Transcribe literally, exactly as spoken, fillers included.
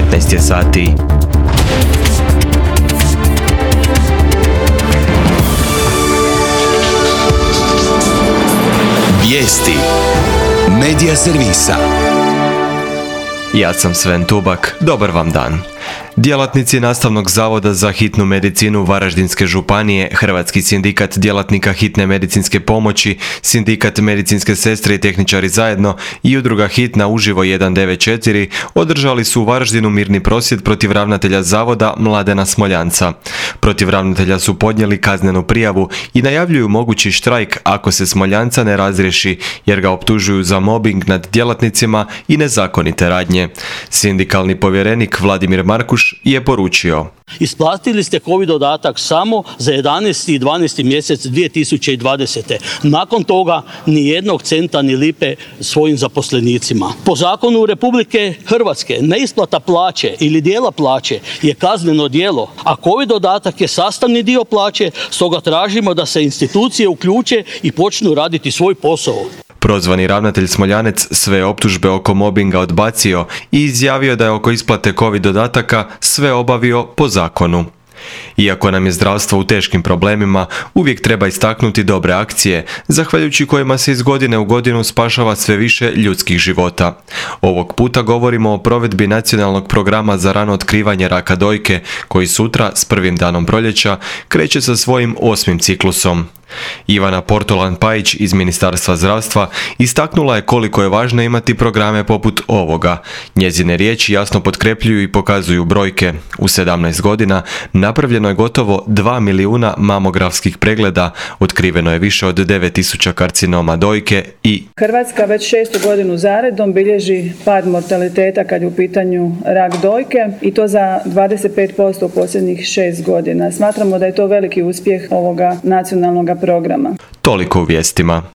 devetnaest je sati. Vijesti Medija servisa. Ja sam Sven Tubak, dobar vam dan. Djelatnici Nastavnog zavoda za hitnu medicinu Varaždinske županije, Hrvatski sindikat djelatnika hitne medicinske pomoći, Sindikat medicinske sestre i tehničari zajedno i udruga Hitna uživo jedan devet četiri održali su u Varaždinu mirni prosvjed protiv ravnatelja zavoda Mladena Smoljanca. Protiv ravnatelja su podnijeli kaznenu prijavu i najavljuju mogući štrajk ako se Smoljanca ne razriješi, jer ga optužuju za mobbing nad djelatnicima i nezakonite radnje. Sindikalni povjerenik Vladimir Markuš je poručio: Isplatili ste COVID dodatak samo za jedanaesti i dvanaesti mjesec dvije tisuće dvadesete. Nakon toga ni jednog centa ni lipe svojim zaposlenicima. Po zakonu Republike Hrvatske neisplata plaće ili dijela plaće je kazneno djelo, a COVID dodatak je sastavni dio plaće, stoga tražimo da se institucije uključe i počnu raditi svoj posao. Prozvani ravnatelj Smoljanec sve optužbe oko mobinga odbacio i izjavio da je oko isplate COVID dodataka sve obavio po zakonu. Iako nam je zdravstvo u teškim problemima, uvijek treba istaknuti dobre akcije, zahvaljujući kojima se iz godine u godinu spašava sve više ljudskih života. Ovog puta govorimo o provedbi nacionalnog programa za rano otkrivanje raka dojke, koji sutra, s prvim danom proljeća, kreće sa svojim osmim ciklusom. Ivana Portolan-Pajić iz Ministarstva zdravstva istaknula je koliko je važno imati programe poput ovoga. Njezine riječi jasno potkrepljuju i pokazuju brojke. U sedamnaest godina napravljeno je gotovo dva milijuna mamografskih pregleda, otkriveno je više od devet tisuća karcinoma dojke i Hrvatska već šestu godinu zaredom bilježi pad mortaliteta kad je u pitanju rak dojke i to za dvadeset pet posto u posljednjih šest godina. Smatramo da je to veliki uspjeh ovoga nacionalnog programa. Toliko u vijestima.